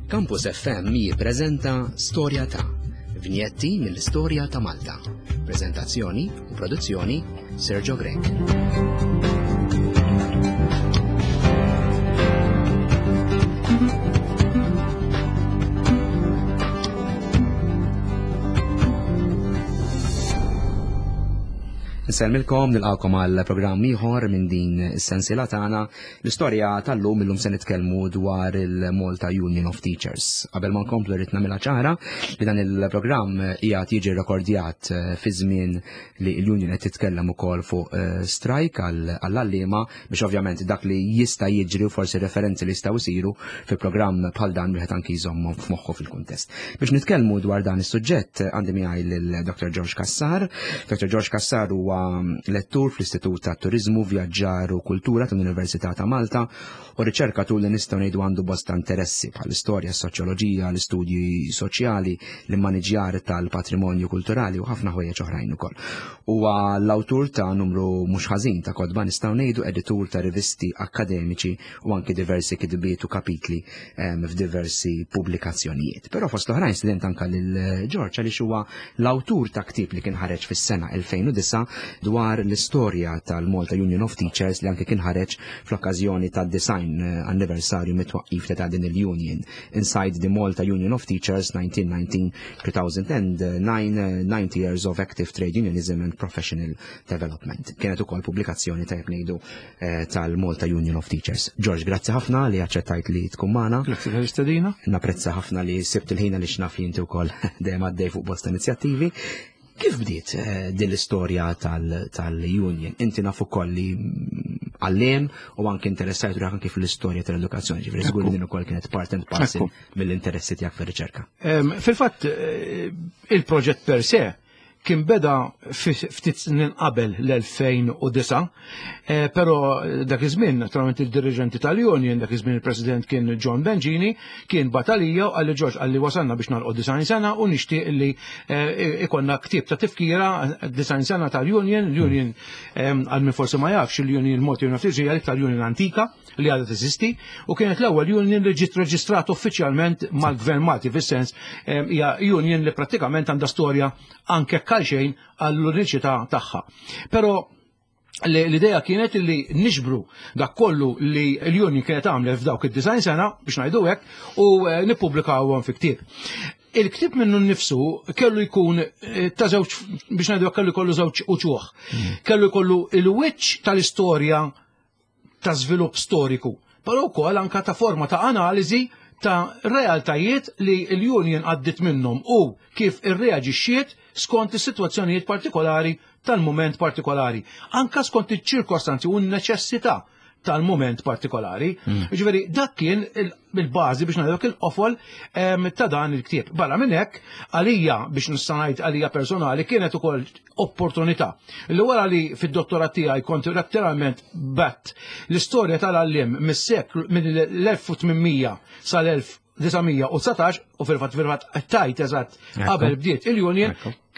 Campus FM jippreżenta Storja ta' Vinjetti mill-istorja ta' Malta. Preżentazzjoni u produzzjoni Sergio Grech. Nsellmilkom nilqakom għal programm ieħor minn din is-sensiela tagħna. L-istorja tal-lum illum se nitkellmu dwar il-Malta Union of Teachers. Qabel ma nkomplu rrid nagħmilha ċara li dan il-programm qiegħed jiġi rekordjat eh, fi żmien li l-union qed titkellem ukoll fuq eh, strajk għall-għalliema biex ovvjament dak li jista' jiġri u forsi referenzi li jistgħu jsiru fi programm bħal dan wieħed anki jżommhom f'moħħu fil-kuntest. Biex nitkellmu dwar dan is-suġġett għandi miegħi lil Dr. George Kassar. Dr. George Kassar huwa lettur fl-Istitut ta' Turiżmu, Vjaġġar u Kultura tal-Università ta' Malta u riċerkatur li nistgħu ngħidu għandu bosta interessi bħall-istorja, s-soċjoloġija, l-istudji soċjali, l-immaniġjar tal-patrimonju kulturali u ħafna ħwejjeġ oħrajn ukoll. Huwa l-awtur ta' numru mhux ħażin ta' kotba nistgħu ngħidu editur ta' rivisti akkademiċi u anki diversi kitbiet u kapitli ehm, f'diversi pubblikazzjonijiet. Però fost l-oħrajn student anka lil George għaliex huwa l-awtur ta' ktieb li kien ħareġ fis-sena 2009 dwar l-istorja tal-Malta Union of Teachers li anke kien ħareġ fl-okkażjoni tad-design eh, anniversarju mit-twaqqif ta' din il-union Inside the Malta Union of Teachers 1919-2009 90 Years of Active Trade Unionism and Professional Development. Kienet ukoll pubblikazzjoni tajjeb ngħidu eh, tal-Malta Union of Teachers. George, grazzi ħafna li aċċettajt li tkun magħna. Grazzi tal-istedina. Napprezza ħafna li sibt il-ħin li xnaf li inti wkoll dejjem għaddej fuq bosta inizjattivi. Kif bdiet eh, din l-istorja tal-union? Inti naf ukoll li għalliem u anke interessajt ruħek anke fl-istorja tal-edukazzjoni, ġifieri żgur li din ukoll kienet part and parcel mill-interessi tiegħek fir-riċerka. Fil-fatt eh, il-proġett per se kien beda ftit snin qabel l-2009, eh, però dak iż-żmien naturalment il-diriġenti tal-Union, dak iż-żmien il-President kien John Bengini, kien batalija u qalli George qalli wasalna biex nagħlqu design sena u nixtieq li eh, ikonna ktieb ta' tifkira design sena tal-Union, l-Union eh, għal min forsi ma jafx il-Union Malta Union of Teachers hija l-iktar Union antika li għadha teżisti u kienet l-ewwel union li ġiet reġistrat uffiċjalment mal-Gvern Malti fis-sens hija union li prattikament għandha storja anke xejn għall-uniċità tagħha. Però l-idea kienet li niġbru dak kollu li l-union kienet għamlet f'dawk id-design sena biex ngħidu hekk u eh, nippubblikawhom fi ktieb. Il-ktieb minnu nnifsu kellu jkun eh, ta' żewġ biex ngħidu kellu jkollu żewġ uċuħ. Hmm. Kellu jkollu il-wiċċ tal-istorja ta' żvilupp storiku, però wkoll anka ta' forma ta' analiżi ta' realtajiet li l-union għaddit minnhom u kif irreaġixxiet skont is-sitwazzjonijiet partikolari tal-mument partikolari, anka skont iċ-ċirkostanzi u n-neċessità tal-mument partikolari. Mm. Ġifieri dak kien il-bażi biex ngħidlek il-qofol ta' dan il-ktieb. Barra minn hekk, għalija biex nista' ngħid għalija personali kienet ukoll opportunità. Li wara li fid-dottorat tiegħi kont letteralment bat l-istorja tal-għallim mis-seklu mill-1800 sal-1919 u fil-fatt fil-fatt tajt eżatt qabel bdiet il-union,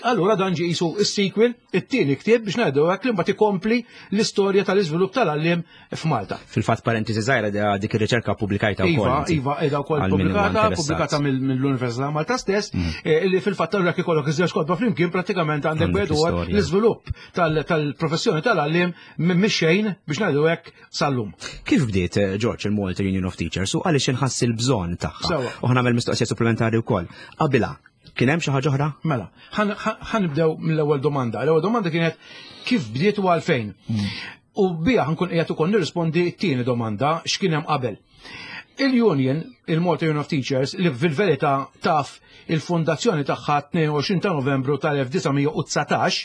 allura dan ġie qisu s-sequel, it-tieni ktieb biex ngħidu hekk li mbagħad ikompli l-istorja tal-iżvilupp tal-għalliem f'Malta. Fil-fatt parentesi żgħira dik ir-riċerka pubblikajta wkoll. Iva, iva, qiegħda wkoll pubblikata, pubblikata mill-Università Malta stess, mm. eh, li fil-fatt allura kif ikollok iż-żewġ kotba flimkien prattikament għandek wieħed l-iżvilupp tal-professjoni tal-għalliem minn xejn biex ngħidu hekk sal-lum. Kif bdiet eh, George il-Malta Union of Teachers u għaliex inħass il-bżonn tagħha? U ħnamel mistoqsija supplementari wkoll. Qabilha, Kien hemm xi ħaġa oħra? Mela, ħanibdew mill-ewwel domanda. L-ewwel domanda kienet kif bdiet u għalfejn. Mm. U bija ħankun qiegħed ukoll nirrispondi t-tieni domanda x'kien hemm qabel. Il-Union, il-Malta Union of Teachers, li fil-verità taf il-fondazzjoni tagħha 22 ta' Novembru tal-1919,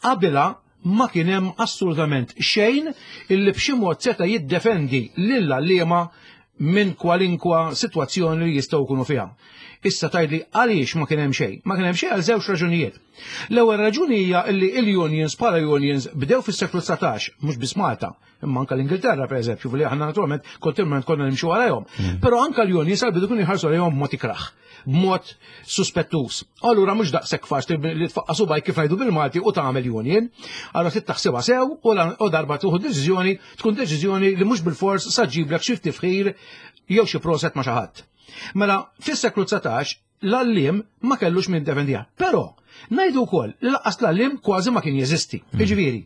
qabilha ma kien hemm assolutament xejn illi b'xi mod seta' jiddefendi lil għalliema minn kwalinkwa sitwazzjoni li jistgħu jkunu fiha. Issa tgħidli għaliex ma kien hemm xejn? Ma kien hemm xejn għal żewġ raġunijiet. L-ewwel raġuni hija li l-unions bħala unions bdew fis-seklu 19, mhux biss Malta, imma anka l-Ingilterra pereżempju, li aħna naturalment kontinwament konna nimxu warajhom. Mm. Però anka l-unions għal-bidu kienu jħarsu lejhom b'mod ikrah, b'mod suspettuż. Allura mhux daqshekk faċli li tfaqqa' subajk kif ngħidu bil-Malti u tagħmel union. Allura trid taħsibha sew u darba tieħu deċiżjoni tkun deċiżjoni li mhux bilfors sa ġiblek xi tifħir jew xi proset ma' xi ħadd. Mela, fis-seklu 19 l-għalliem ma kellux min defendija. Però, ngħidu wkoll li lanqas l-għalliem kważi ma kien jeżisti. Jiġifieri,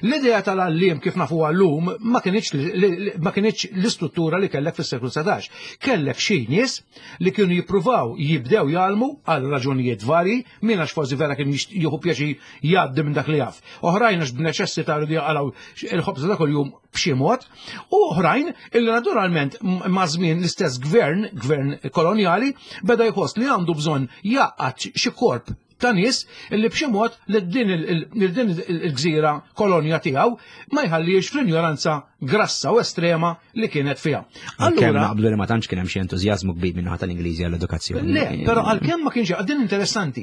l-idea tal-għalliem kif nafu llum ma kinitx l-istruttura li kellek fis-seklu 19. Kellek xi nies li kienu jippruvaw jibdew jgħallmu għal raġunijiet varji, min għax forsi vera kien jieħu pjaċir jgħaddi minn dak li jaf. Oħrajn għax b'neċessità rridu jaqalgħu il-ħobża ta' kuljum b'xi mod, u oħrajn illi naturalment ma' żmien l-istess gvern, gvern kolonjali, beda jħoss li għandu bżonn jgħaqqad xi korp ta' nies illi b'xi mod li din il-gżira kolonja tiegħu ma jħallix fl-injoranza grassa u estrema li kienet fiha. Allura naqblu li ma tantx kien hemm xi entużjażmu kbir minn naħa tal-Ingliżi għall-edukazzjoni. Le, però għalkemm ma kienx din interessanti.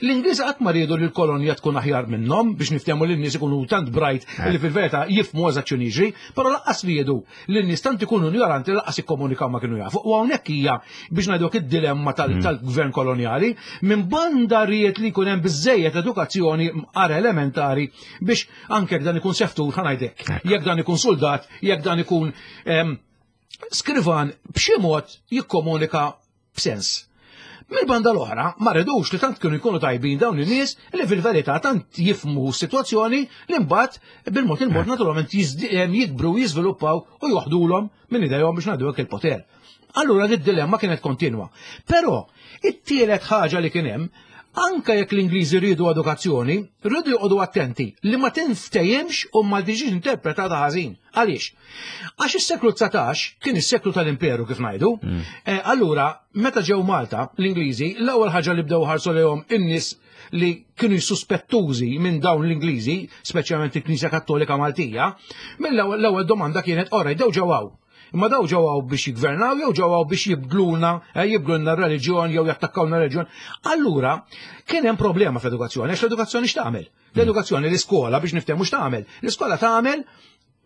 L-Ingliżi qatt ma riedu li l-kolonja tkun aħjar minnhom biex niftehmu li n-nies ikunu tant bright li fil-verità jifhmu eżatt x'inhu jiġri, però lanqas riedu li n-nies tant ikunu ignoranti lanqas ikkomunikaw ma kienu jafu. U hawnhekk hija biex ngħiduk id-dilemma tal-gvern kolonjali, minn banda ried li jkun hemm biżejjed edukazzjoni għar elementari biex anke jekk dan ikun seftur ħa ngħidlek, jekk dan ikun soldat, jekk dan ikun skrivan b'xi mod jikkomunika b'sens. Mill-banda l-oħra, ma ridux li tant kienu jkunu tajbin dawn in-nies li fil-verità tant jifhmu s-sitwazzjoni li mbagħad bil-mod il-mod naturalment jikbru, jiżviluppaw u joħdulhom minn idejhom biex ngħidu hekk il-poter. Allura d-dilemma kienet kontinwa. Però it-tielet ħaġa li kien hemm, anke jekk l-Ingliżi rridu edukazzjoni, rridu joqogħdu attenti li ma tinftehimx u ma tiġix interpretata ħażin. Għaliex? Għax is-seklu 19 kien is-seklu tal-imperu kif ngħidu. Allura, meta ġew Malta, l-Ingliżi, l-ewwel ħaġa li bdew ħarsu lejhom in-nies li kienu suspettati minn dawn l-Ingliżi, speċjalment il-Knisja Kattolika Maltija, mill-ewwel l-ewwel domanda kienet ora daw ġew hawn. Imma daw ġew hawn biex jigvernaw jew ġew hawn biex jibdluna, jibdlulna r-reliġjon jew jattakkawna r-reliġjon. Allura, kien hemm problema fl-edukazzjoni, għax l-edukazzjoni x'tagħmel? L-edukazzjoni l-iskola biex niftehmu x'tagħmel. L-iskola tagħmel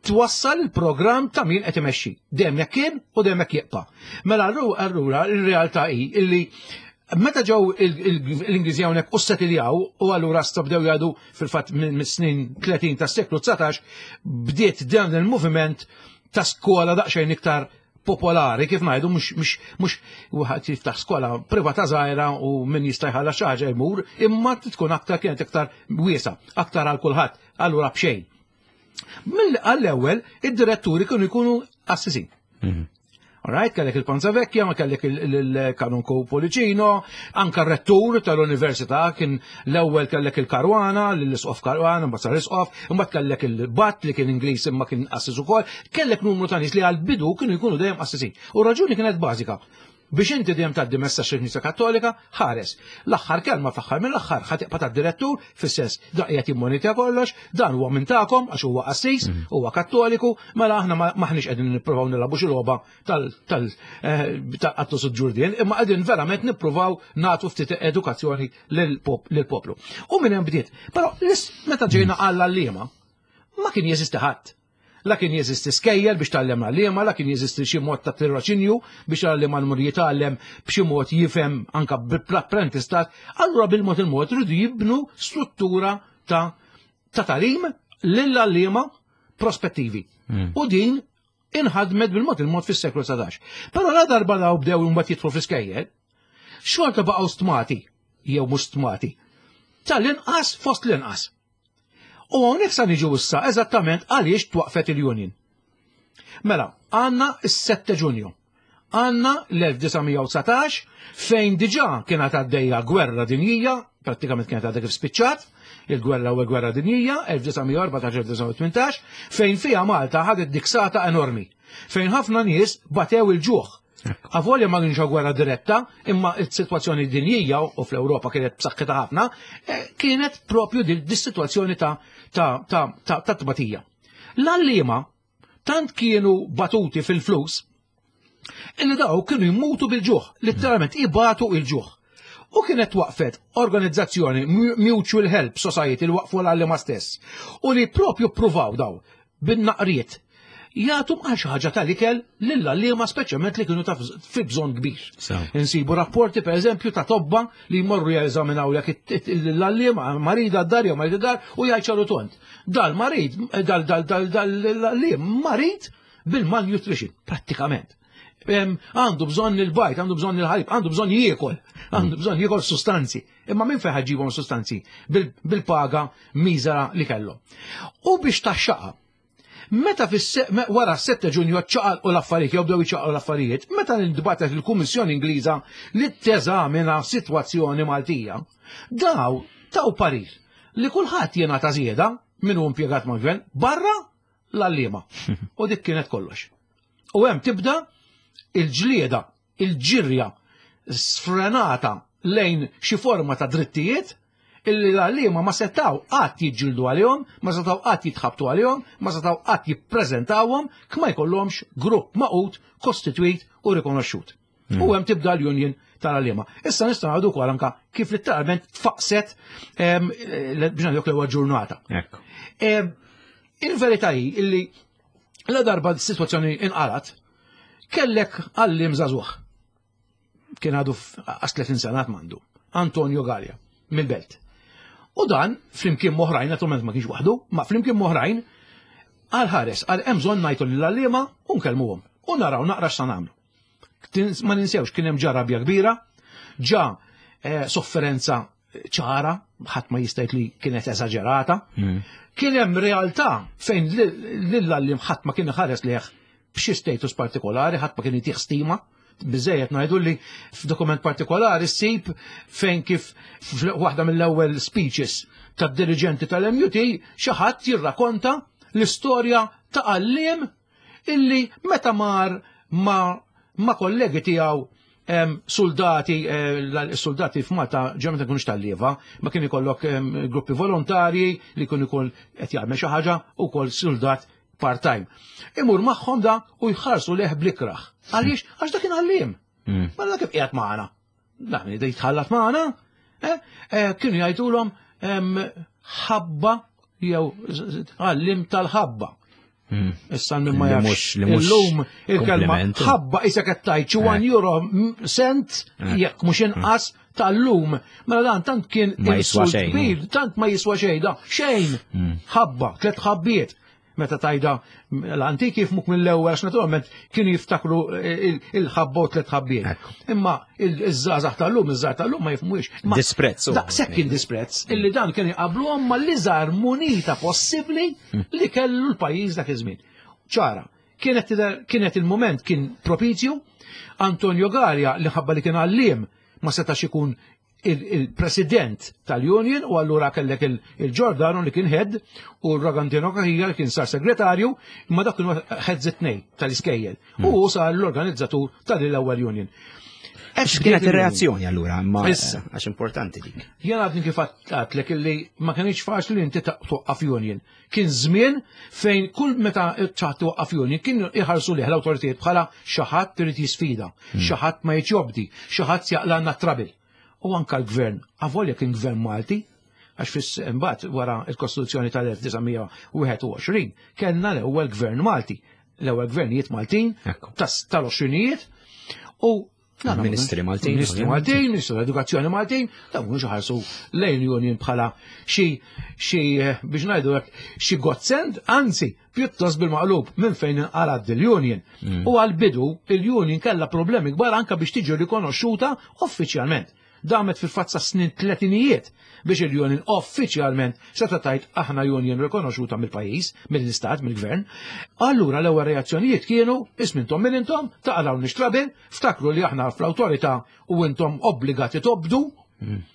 twassal il-programm ta' min qed imexxi. Dejjem hekk kien u dejjem hekk jibqa'. Mela allura ir-realtà hi illi meta ġew l-Ingliżi hawnhekk u settiljaw u allura bdew jgħidu fil-fatt mis-snin 30 tas-seklu 19 bdiet dan il-moviment ta' skola daqsxejn iktar popolari, kif ngħidu, mhux wieħed jiftaħ skola privata żgħira u min jista' jħallas xi ħaġa jmur, imma tkun aktar kienet iktar wiesa, aktar għal kulħadd, allura b'xejn. Mill-ewwel id-diretturi kienu jkunu qassisin. Alright, kellek il-Panza Vecchia, ma kellek il-Kanonku Policino, anka r-rettur tal-Università kien l-ewwel kellek il-Caruana, l-Isqof Caruana, mbagħad sar Isqof, imbagħad kellek il-Bat li kien Ingliż imma kien qassis ukoll, kellek numru ta' nies li għal-bidu kienu jkunu dejjem qassisin. U raġuni kienet bażika. Biex inti dejjem tgħaddi messaġġ il-Knisja Kattolika, ħares. L-aħħar kelma fl-aħħar mill-aħħar ħa tibqa' tad-direttur fis-sens dan qiegħed jimmonitja kollox, dan huwa minn tagħkom għax huwa qassis, huwa Kattoliku, mela aħna maħniex qegħdin nippruvaw nilagħbu xi logħba tal-qattus ġurdien, imma qegħdin verament nippruvaw nagħtu ftit edukazzjoni lill-poplu. U minn hemm bdiet. Però meta ġejna għall-għalliema, ma kien jeżisti ħadd. La kien jeżisti skejjel biex tgħallem l-għalliema, la kien jeżisti xi mod ta' tiroċinju biex l-għalliema jmur jitgħallem b'xi mod jifhem anka bl-apprentistat. Allura bil-mod il-mod rridu jibnu struttura ta' tagħlim lill-għalliema prospettivi. U din inħadmet bil-mod il-mod fis-seklu 19. Però la darba daw bdew imbagħad jidħlu fl-iskejjel, xorta baqgħu stmati, jew mhux stmati, tal-inqas fost l-inqas. U hawnhekk sa niġu issa eżattament għaliex twaqfet il-Union. Mela, għandna s-7 Ġunju. Għandna l-1919 fejn diġà kienet għaddejja gwerra dinjija, prattikament kienet għadha kif spiċċat, il-gwerra u gwerra dinjija, 1914-1918, fejn fija Malta ħadet diksata enormi, fejn ħafna nies batew il-ġuħ. Avolja ma kienx gwerra diretta, imma il-sitwazzjoni dinjija u fl-Ewropa kienet b'saħħitha ħafna, kienet propju dis-sitwazzjoni ta' tbatija. L-għalliema tant kienu batuti fil-flus, illi daw kienu jmutu bil-ġuħ, letteralment ibatu il-ġuħ. U kienet waqfet organizzazzjoni Mutual Help Society li waqfu l-għalliema stess. U li propju pruvaw daw bin-naqriet jagħtu għal xi ħaġa tal-ikel lill-għalliema speċjalment li kienu ta' fi bżonn kbir. Insibu rapporti per eżempju ta' tobba li jmorru jeżaminaw jekk l-għalliema marida d-dar jew marida d-dar u jgħid tont. Dal marid, dal dal dal dal l-għalliem marid bil-malnutrition, prattikament. Għandu bżonn il-bajt, għandu bżonn il-ħalib, għandu bżonn jiekol, għandu bżonn jiekol sustanzi. Imma minn fejn ħaġibhom sustanzi bil-paga miżera li kellhom. U biex taxxaqa, meta wara 7 Ġunju ċaqalqu l-affarijiet, jew bdew iċaqalqu l-affarijiet, meta ntbagħtet il-Kummissjoni Ingliża li teżamina sitwazzjoni Maltija, daw taw parir li kulħadd jingħata żieda min hu impjegat mal-gvern barra l-għalliema. U dik kienet kollox. U hemm tibda il-ġlieda, il-ġirja sfrenata lejn xi forma ta' drittijiet illi l-għalliema ma setaw qatt jiġġieldu għalihom, ma setaw qatt jitħabtu għalihom, ma setaw qatt jippreżentawhom kma jkollhomx grupp magħqud, kostitwit u rikonoxxut. U hemm tibda l-union tal-għalliema. Issa nistgħu ngħidu wkoll anka kif letteralment tfaqset biex ngħidlek l-ewwel ġurnata. Il-verità hi illi la darba s-sitwazzjoni inqalat, kellek għalliem żagħżugħ. Kien għadu għas 30 sena mandu. Antonio Galea, mill-Belt. U dan, flimkien m'oħrajn, naturalment ma kienx waħdu, ma flimkien m'oħrajn, għal ħares, għal hemm bżonn ngħidu lill-għalliema u nkellmuhom. U naraw naqra x'sa nagħmlu. Ma ninsewx kien hemm ġa rabja kbira, ġa sofferenza ċara, ħadd ma jista' jgħid li kienet eżaġerata. Kien hemm realtà fejn lill-għalliem ħadd ma kien iħares lejh b'xi status partikolari, ħadd ma kien jtih stima. Biżejjed ngħidu li f'dokument partikolari ssib fejn kif waħda mill-ewwel speeches tad-diriġenti tal-MUT xi ħadd jirrakonta l-istorja ta' għalliem illi meta mar ma' kollegi tiegħu soldati, soldati f'Malta ġemma ta' tal-lieva, ma kien ikollok gruppi volontarji li kun ikun qed jagħmel xi ħaġa u kol soldat part-time. Imur magħhom da u jħarsu leħ blikraħ. Għaliex? Għax dak kien għalliem. Ma dak kif qiegħed magħna. Dan jitħallat magħna. Kienu jgħidulhom ħabba jew għallim tal-ħabba. Issa minn ma jafx. Illum il-kelma ħabba isa qed tgħid xi 1 euro cent jekk mhux inqas tal-lum. Mela dan tant kien ma jiswa xejn. Tant ma jiswa xejn da, xejn. Ħabba, tliet ħabbiet. Meta tajda l-antiki jifmuk mill-ewwel għax naturalment kienu jiftakru il-ħabba u tliet ħabbiet. Imma iż-żgħażagħ tal-lum, iż-żgħar tal-lum ma jifhmuhiex. Disprezz. Daqshekk kien disprezz illi dan kien iqabluhom mal-iżgħar munita possibbli li kellu l-pajjiż dak iż-żmien. Ċara, kienet il-moment kien propizju, Antonio Galea li ħabba li kien għalliem ma setax ikun il-president tal-union u allura kellek il-Giordano li kien head u r-Ragantino Cachia li kien sar segretarju, imma dak kienu heads it-tnejn tal-iskejjel. U hu sar l-organizzatur tal-ewwel union. X'kienet ir-reazzjoni allura? Imma Issa. għax importanti dik. Jien għadni kif għadtlek illi ma kienx faċli li inti toqqaf union. Kien żmien fejn kull meta ċaħt toqqaf union kien iħarsu lih l-awtoritajiet bħala xi ħadd irid jisfida, xi ħadd ma jobdi, xi ħadd jaqlagħna trouble. U anka l-gvern, avolja kien gvern Malti, għax fis imbagħad wara l-Kostituzzjoni tal-1921 kellna l-ewwel gvern Malti, l-ewwel gvernijiet Maltin tal-20ijiet u Ministri Maltin. Ministri Maltin, Ministru tal-Edukazzjoni Maltin, dawn mhux ħarsu lejn union bħala xi biex ngħidu hekk xi godsend, anzi pjuttost bil-maqlub minn fejn inqalad il-union. U għal-bidu il-union kellha problemi kbar anka biex tiġi rikonoxxuta uffiċjalment. Damet fil-fatt sa snin tletinijiet biex il-union uffiċjalment seta' tajt aħna union rikonoxxuta mill-pajjiż, mill-istat, mill-gvern. Allura l-ewwel reazzjonijiet kienu ismintom minn intom, taqalgħu nixtrabil, ftakru li aħna fl-awtorità u intom obbligati tobdu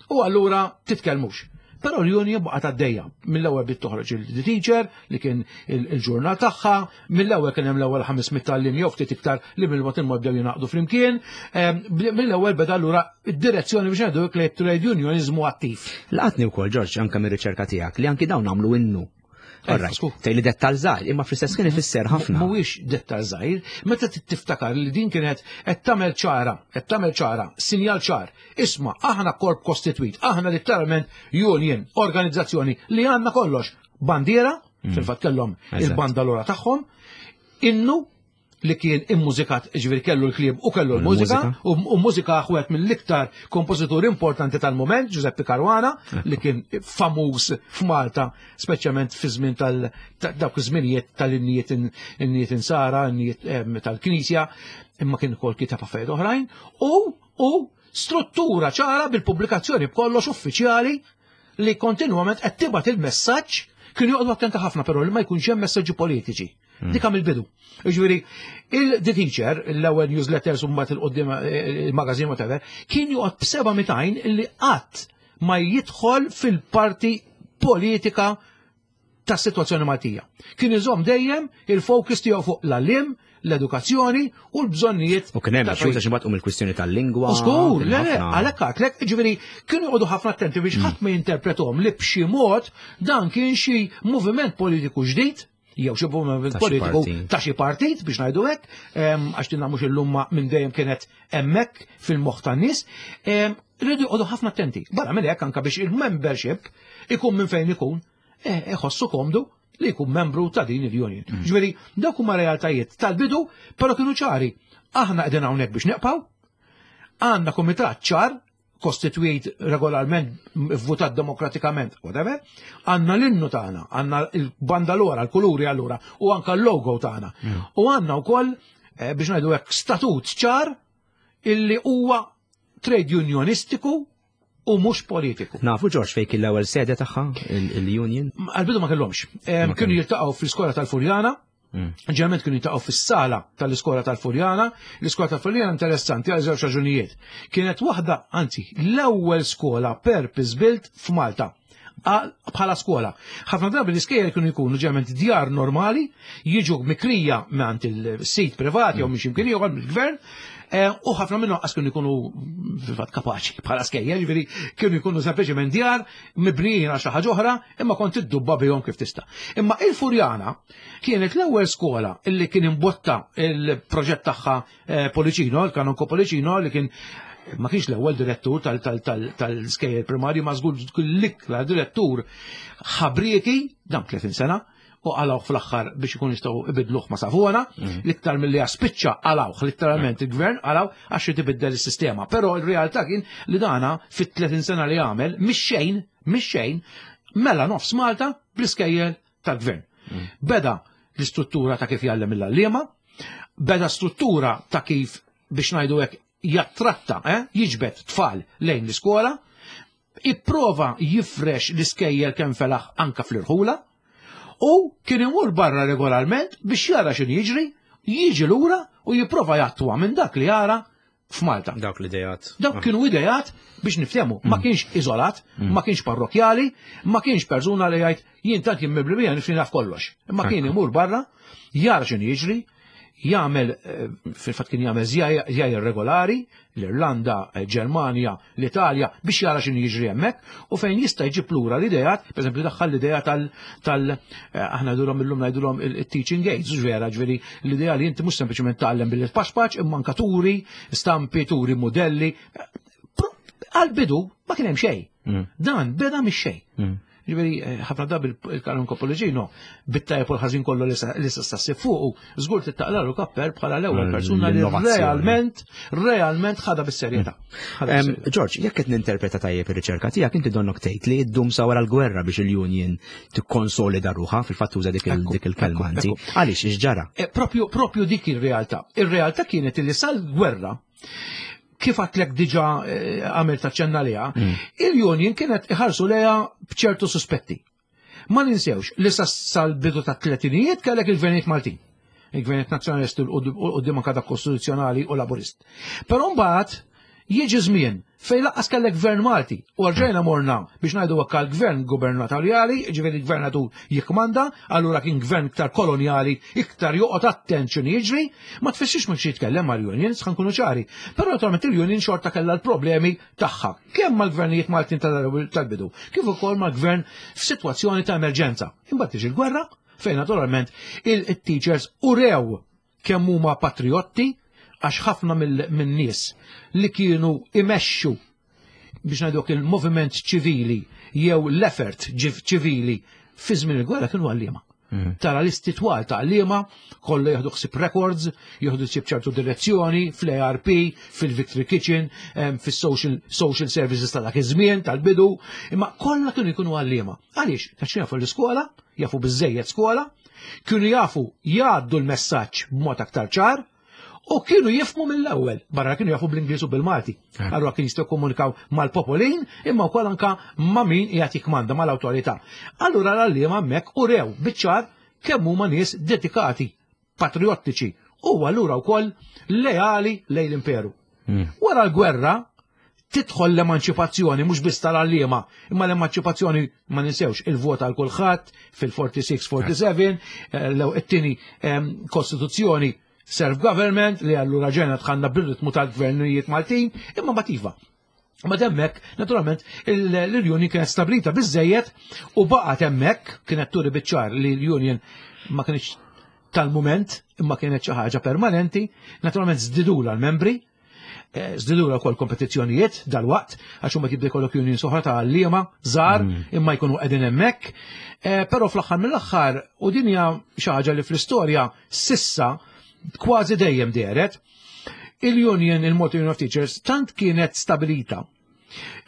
u allura titkellmux. Però l-union baqgħet għaddejja. Mill-ewwel bdiet toħroġ il-The Teacher li kien il-ġurnal tagħha, mill-ewwel kien hemm l-ewwel 500 tgħalliem jew ftit iktar li mill-mod il-mod bdew jingħaqdu flimkien. Mill-ewwel beda allura id-direzzjoni biex ngħidu li trade unionizmu attiv. Laqatni wkoll Ġorġ anke mir-riċerka tiegħek li anki dawn għamlu innu. Tgħid li dettal żgħir, imma fl-istess kien ifisser ħafna. Mhuwiex dettal żgħir, meta tiftakar li din kienet qed tagħmel ċara, qed tagħmel ċara, sinjal ċar. Isma' aħna korp kostitwit, aħna letteralment union, organizzazzjoni li għandna kollox. Bandiera, fil-fatt kellhom il-bandalora tagħhom, innu li kien immużikat, ġifieri kellu l-kliem u kellu l-mużika, u mużika wieħed mill-iktar kompożituri importanti tal-moment, Giuseppe Caruana, li kien famuż f'Malta, speċjalment fi żmien tal dawk iż-żminijiet tal-innijiet innijiet insara, innijiet tal-Knisja, imma kien ukoll kiteb affarijiet oħrajn, u struttura ċara bil-pubblikazzjoni b'kollox uffiċjali li kontinwament qed tibgħat il-messaġġ. Kienu joqgħodu attenti ħafna però li ma jkunx hemm messaġġi politiċi. Dik mill-bidu. Ġifieri, il-The Teacher, l-ewwel newsletters u mbagħad il-qudiem il-magazine whatever, kien joqgħod b'seba' mitajn li qatt ma jidħol fil-parti politika ta' situazzjoni Maltija. Kien iżomm dejjem il-focus tiegħu fuq l-għalliem, l-edukazzjoni u l-bżonnijiet. U kien hemm xi xi mbagħad il-kwistjoni tal-lingwa. Żgur, le, għalhekk għadtlek, ġifieri kienu joqogħdu ħafna attenti biex ħadd ma jinterpretom li b'xi mod dan kien xi moviment politiku ġdid jew xi moviment politiku ta' xi partit biex ngħidu hekk, għax dinna mhux illum minn dejjem kienet hemmhekk fil-moħħ tan-nies. Rridu joqogħdu ħafna attenti. Barra minn hekk anke biex il-membership ikun minn fejn ikun, iħossu komdu li jkun membru ta' din il-union. Ġifieri, dawk huma realtajiet tal-bidu, però kienu ċari. Aħna qegħdin hawnhekk biex neqpaw, għandna kumitat ċar, kostitwit regolarment, votat demokratikament, whatever, għandna l-innu tagħna, għandna il-bandalora, l-kuluri allura, u anka l-logo tagħna. U għandna wkoll, biex ngħidu hekk, statut ċar illi huwa trade unionistiku u mhux politiku. Nafu, George, fejn kien l-ewwel sede tagħha il-union? Għal-bidu ma kellhomx. Kienu jiltaqgħu fl-iskola tal-Furjana, Ġeneralment kienu jiltaqgħu fis-sala tal-iskola tal-Furjana. L-iskola tal-Furjana interessanti għal żewġ raġunijiet. Kienet waħda, anzi, l-ewwel skola purpose built f'Malta bħala skola. Ħafna drabi l-iskejjel kienu jkunu ġeneralment djar normali, jiġu mikrija mingħand il-sit privati jew minn x'imkien ieħor mill-gvern, u ħafna minnhom qas kienu jkunu fil-fatt kapaċi bħala skejjel, ġifieri kienu jkunu sempliċement djar mibnijin għal xi ħaġa oħra, imma kont iddubba bihom kif tista'. Imma il-Furjana kienet l-ewwel skola illi kien imbotta il-proġett tagħha Pollicino, il-Kanonko Pollicino, li kien ma kienx l-ewwel direttur tal-skejjel primarju, ma żgur l-ikla direttur ħabrieki, dam 30 sena, u qalgħuh fl-aħħar biex ikun jistgħu ibidluh ma' Savona, l-iktar milli spiċċa qalgħuh, letteralment il-gvern qalgħu għax tibidel is-sistema. Però il-realtà kien li dana fit-30 sena li għamel, mix-xejn, mix-xejn, mela nofs Malta bl-iskejjel tal-gvern. Beda l-istruttura ta' kif jgħallem il-għalliema, beda struttura ta' kif biex ngħidu hekk jattratta, jiġbed tfal lejn l-iskola, ipprova jifrex l-iskejjel kemm felaħ anka fl-irħula, u kien imur barra regolarment biex jara x'inhu jiġri, jiġi lura u jipprova jattwa minn dak li jara f'Malta. Dawk l-idejat. Dawk kienu idejat biex niftehmu, ma kienx iżolat, ma kienx parrokjali, ma kienx persuna li jgħid jien tant jien mibli bija nifni naf kollox. Imma kien imur barra, jara x'inhu jiġri, jagħmel fil-fatt kien jagħmel żjajjar regolari l-Irlanda, Ġermanja, l-Italja biex jara x'inhu jiġri hemmhekk u fejn jista' jġib lura l-idejat, pereżempju daħħal l-idea tal aħna ngħidulhom illum ngħidulhom il-teaching aids, vera, ġifieri l-idea li inti mhux sempliċement tgħallem billi tpaxpax imma anka turi stampi, turi modelli. Għal-bidu ma kien hemm xejn. Dan beda mix-xejn. Ġifieri, ħafna drabi il-Kanonko Pollicino, bit-tajjeb u l-ħażin kollu li sa stassi fuqu, żgur tittaqlalu kapper bħala l-ewwel persuna li L-innovazzjoni. realment ħadha bis-serjetà. Ħadha bis-serjetà. George, jekk qed ninterpreta tajjeb ir-riċerka tiegħek, inti donnok tgħid li ddum sa wara l-gwerra biex il-union tikkonsolida ruħha, fil-fatt tuża dik il-kelma inti. Għaliex x'ġara? Propju dik ir-realtà. Ir-realtà kienet li sal-gwerra, kif għadtlek diġa għamil taċċenna liha, il-union kienet iħarsu leha bċertu suspetti. Ma ninsewx li sal-bidu ta' tletinijiet kellek il-gvernijiet Maltin. Il-gvernijiet nazzjonalisti u quddiem anke dak kostituzzjonali u laburist. Però mbagħad jiġi żmien fejn laqqas kellek gvern Malti u rġajna morna biex ngħidu hekk għal gvern gubernatorjali, ġifieri gvernatur jikkmanda, allura kien gvern iktar kolonjali, iktar joqgħod attent x'inhu jiġri, ma tfissirx ma jitkellem mal-unions, ħa nkunu ċari. Però naturalment il-union xorta kellha l-problemi tagħha, kemm mal-gvernijiet Maltin tal-bidu, kif ukoll mal-gvern f'sitwazzjoni ta' emerġenza. Imbagħad tiġi l-gwerra fejn naturalment il-teachers urew kemm huma patriotti, għax ħafna min-nies li kienu imexxu biex ngħidu il-moviment ċivili jew l-effort ċivili fi żmien il-gwerra kienu għalliema. Tara listi twal ta' għalliema, kollha jieħdu ħsieb records, jieħdu ħsieb ċertu direzzjoni, fl-ARP, fil-Victory Kitchen, fis-social social services ta' dak iż-żmien tal-bidu, imma kollha kienu jkunu għalliema. Għaliex? Għax jafu l-iskola, jafu biżejjed skola, kienu jafu jgħaddu l-messaġġ b'mod aktar ċar, u kienu jifmu mill-ewwel, barra kienu jafu bl-Ingliż u bil-Malti. Eh. Allura kien jistgħu komunikaw mal-popolin imma wkoll anka ma' min qiegħed jikmanda mal-awtorità. Allura l-għalliema hemmhekk urew biċ-ċar kemm huma nies dedikati, patriottiċi u allura wkoll leali lejn l-imperu. Hmm. Wara l-gwerra tidħol l-emanċipazzjoni mhux biss tal-għalliema, imma l-emanċipazzjoni ma ninsewx il-vot għal kulħadd fil-46-47, eh, l-tieni ehm, kostituzzjoni self-government li allura ġena tħanna bil-ritmu tal-gvernijiet Maltin, imma mativa. Ma demmek, naturalment, l-Union kienet stabilita biżejjed u baqgħet hemmhekk kienet turi biċ-ċar li l-Union ma kienx tal-mument imma kienet xi ħaġa permanenti, naturalment żdidula l-membri, eh, żdidula wkoll kompetizzjonijiet dal-waqt, għax huma tibda jkollok union soħra ta' għalliema żgħar mm. imma jkunu qegħdin hemmhekk. Eh, però fl-aħħar mill-aħħar u din hija xi ħaġa li fl-istorja sissa kważi dejjem dehret, il-union, il-Malta Union of Teachers, tant kienet stabilita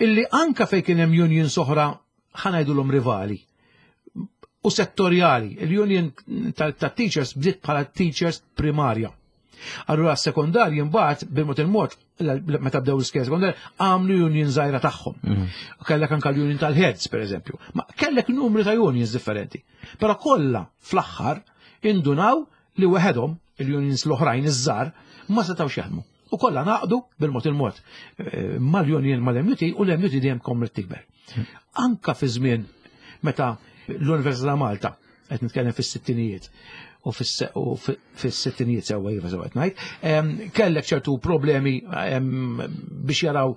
illi anka fej kien hemm union soħra ħanajdulhom rivali u settorjali. Il-union tat-teachers bdiet bħala teachers primarja. Allura s-sekondarji mbagħad bil-mod il-mod meta bdew l-iskejjel sekondarji għamlu union żgħira tagħhom. Mhm. Kellek anke l-union tal-heads pereżempju. Ma kellek numri ta' unions differenti. Però kollha fl-aħħar indunaw li weħedhom il-unions l-oħrajn iż-żgħar ma setgħux jaħdmu. U kollha naqdu bil-mod il-mod eh, mal-union mal-MUT u l-MUT dejjem komret tikber. Mhm. Anka fi żmien meta l-Università Malta qed nitkellem fis-sittinijiet u fis-sittinijiet sewwa iva sewwa qed ngħid, kellek ċertu problemi biex jaraw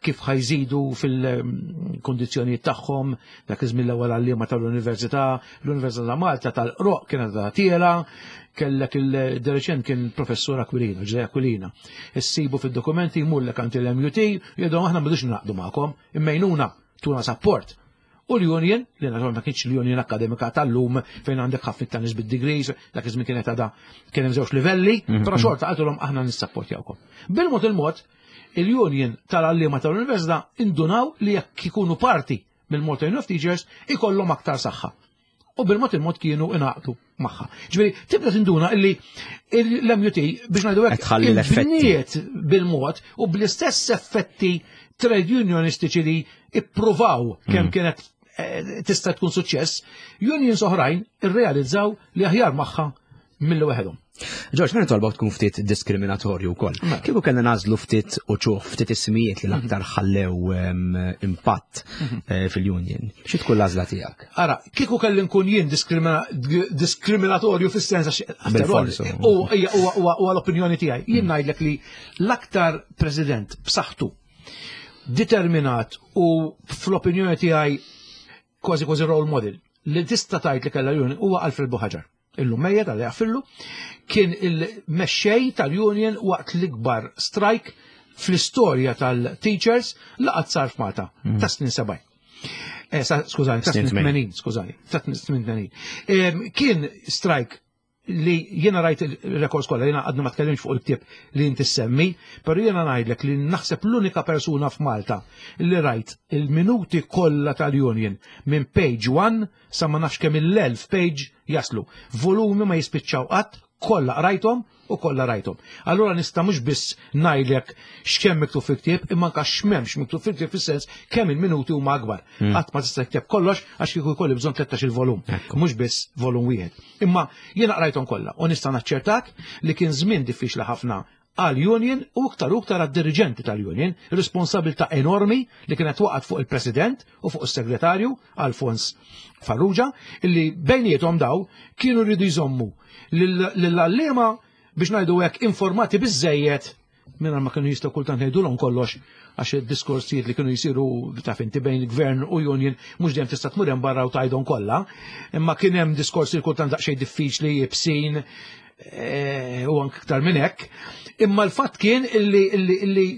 kif ħajżidu fil-kundizzjonijiet tagħhom, dak iż-żmien l-ewwel għalliema tal-Università, l-Università ta' Malta tal-Qroq kienet ta' tiela, kellek il-dereċent kien professur Aquilina, Ġej Aquilina. Issibu fid-dokumenti jmullek għand il-MUT, jgħidu aħna m'bidux naqdu magħkom, immejnuna, tuna support. U l-union, li naturalment ma kienx l-union akademika tal-lum fejn għandek ħafna ta' nies bid-degrees, dak iż-żmien kienet għadha kien hemm żewġ livelli, mhm. però xorta qaltilhom aħna nissapportjawkom. Bil-mod il-mod, il-union tal-għalliema tal-università indunaw li jekk ikunu parti mill-Malta Union of Teachers ikollhom aktar saħħa. U bil-mod il-mod kienu inaqdu magħha. Ġifieri tibda tinduna illi l-MUT biex ngħidu hekk il-bniet bil-mod u bl-istess effetti trade unionistiċi li ippruvaw kemm mm. kienet eh, tista' tkun suċċess, unions oħrajn irrealizzaw li aħjar magħha milli waħedhom. Ġorġ, ħana tolbok tkun ftit diskriminatorju wkoll. Mela. Kieku kellna nażlu ftit u ċuħ ftit ismijiet li l-aktar ħallew impatt mhm. eh, fil-union. Xi tkun l-għażla tiegħek? Ara, kieku kelli nkun jien diskriminatorju fis-sens għax huwa l-opinjoni tiegħi. Jien mhm. ngħidlek li l-aktar president b'saħħtu determinat u fl-opinjoni tiegħi kważi kważi role model li tista' tgħid li kellha l-union huwa Alfred Buħaġar. Illum mejjet għal jaffillu, kien il-mexxej tal-union waqt l-ikbar strike fl-istorja tal-teachers li qatt sar f'Malta mm. ta' snin 70. Eh, skużani, ta' snin 80, skużani, ta' snin 80. Kien strike li jiena rajt il-rekords kollha, jiena għadna ma tkellimx fuq il-ktieb li inti semmi, però jiena ngħidlek li naħseb l-unika persuna f'Malta li rajt il-minuti kollha tal-union minn page 1 sa ma nafx kemm il-elf page jaslu. Volumi ma jispiċċaw qatt, kollha qrajthom u kollha rajthom. Allura nista' mhux biss ngħidlek x'kemm miktub fil-ktieb, imma anke x'm'hemmx miktub fil-ktieb fis-sens kemm il-minuti huma akbar. Hmm. Qatt ma tista' tikteb kollox għax kieku jkolli bżonn 13 il-volum, mhux biss volum wieħed. Imma jiena qrajthom kollha u nista' naċċertak li kien żmien diffiċli ħafna għal-union u iktar u iktar għad-diriġenti tal-union, responsabilità enormi li kienet waqgħet fuq il-president u fuq is-segretarju Alfons Farrugia, illi bejniethom daw kienu rridu jżommu lill-għalliema biex ngħidu hekk informati biżejjed minn ma kienu jistgħu kultant ngħidulhom kollox għax id-diskorsijiet li kienu jsiru taf inti bejn gvern u union mhux dejjem tista' tmur hemm barra u tgħidhom kollha, imma kien hemm diskorsi kultant daqsxejn diffiċli jibsin eh, u anke iktar minn hekk. Imma l-fatt kien illi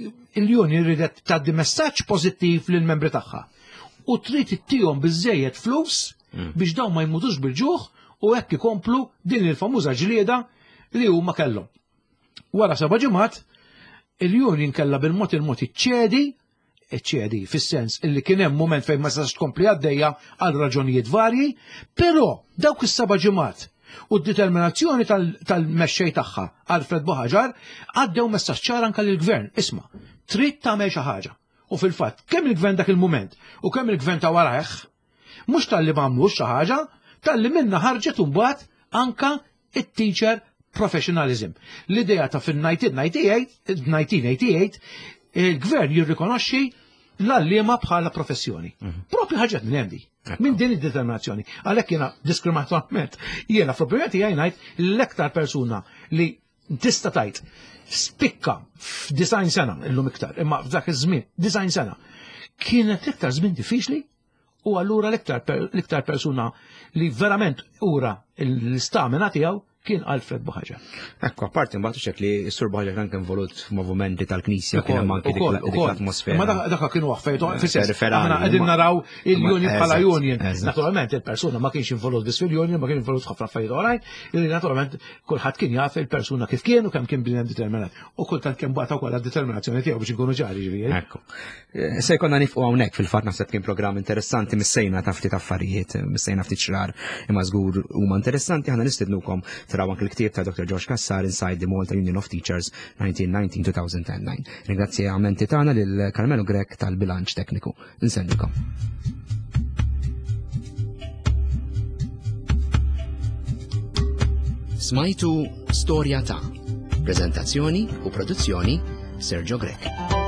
l-union ridet tgħaddi messaġġ pożittiv lill-membri tagħha. U trid ittihom biżejjed flus mm. biex dawn ma jmutux bil-ġuħ u hekk ikomplu din il-famuża ġlieda li huma kellhom. Wara seba' ġimgħat, il-union kellha bil-mod il-mod iċċedi, iċċedi fis-sens illi kien hemm mument fejn ma setax tkompli għaddejja għal raġunijiet varji, però dawk is-seba' ġimgħat u d-determinazzjoni tal-mexxej tagħha Alfred Buhagiar għaddew messaġġ ċar anke lill-gvern, isma' trid tagħmel xi ħaġa. U fil-fatt, kemm il-gvern dak il-mument u kemm il-gvern ta' warajh, mhux talli ma għamlux xi ħaġa, talli minna ħarġet imbagħad anka it-teacher professionalism. L-idea ta' fin-1988 il-gvern jirrikonoxxi l-għalliema bħala professjoni. Propju ħarġet minn hemm di. Minn din id-determinazzjoni. Għalhekk jiena diskriminatorjament, jiena fl-opinjoni tiegħi ngħid l-aktar persuna li tista' tgħid spikka f'90 sena illum iktar, imma f'dak iż-żmien 90 sena kienet l-iktar żmien diffiċli u allura l-iktar persuna li verament ura l-istamina tiegħu kien Alfred Buhagiar. Ekku, apparti mbagħad xek li s-Sur Buhagiar kan kien involut f'movimenti tal-Knisja, kien hemm anke dik l-atmosfera. Ma dak kienu affarijiet, fis-sens, aħna qegħdin naraw il-union bħala union. Naturalment il-persuna ma kienx involut biss fil-union, ma kien involut ħafna affarijiet oħrajn, li naturalment kulħadd kien jaf il-persuna kif kien u kemm kien bniedem determinat. U kultant kien bata wkoll għad-determinazzjoni tiegħu biex inkunu ċari ġifieri. Ekku. Se jkollna nifqu hawnhekk fil-fatt naħseb kien programm interessanti missejna ta' ftit affarijiet, missejna ftit xrar imma żgur huma interessanti, aħna nistednukom taraw anke l-ktieb ta' Dr. George Cassar Inside the Malta Union of Teachers 1919-2009. Ringrazzjamenti tagħna lil Carmelo Grech tal-bilanċ tekniku. Insellmilkom. Smajtu Storja ta' Prezentazzjoni u produzzjoni Sergio Grech.